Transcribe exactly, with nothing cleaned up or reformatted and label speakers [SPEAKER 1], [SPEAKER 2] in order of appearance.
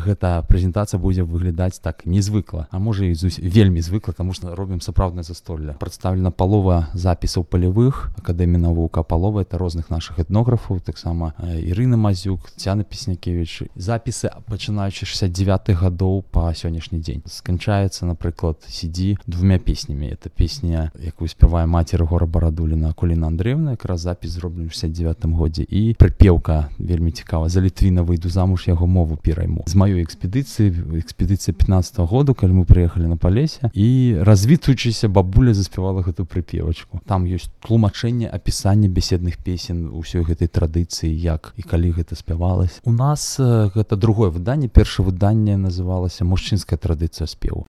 [SPEAKER 1] гэта прэзентацыя будзе выглядаць так незвыкла, а можа і вельмі звыкла, таму што робім сапраўднае застолле. Прадстаўлена палова запісаў палявых Акадэміі навук, а палова это розных нашых этнографаў, таксама Ірына Мазюк, Цяна Песнякевіч. Запісы пачынаючы шэсцьдзесят дзевятых гадоў па сённяшні дзень. Сканчаецца, напрыклад, си ди двумя песнямі. Это песня, якую спявае маці Рыгора Барадуліна, Акуліна Андрэевна, якраз запіс зроблены ў шэсцьдесят дзевятым годзе. І прыпеўка вельмі цікава: за Літвіна выйду замуж, яго мову перайму. З маёй экспедыцыі, экспедыцыя пятнадцатого году, калі мы прыехалі на Палесе, і развітваючыся бабуля заспявала гэту прыпевачку. Там ёсць тлумачэнне, апісанне беседных песен усёй гэтай традыцыі, як і калі гэта спявалася. У нас гэта другое выданне. Першае выданне называлася «Мужчынская традыцыя спеву».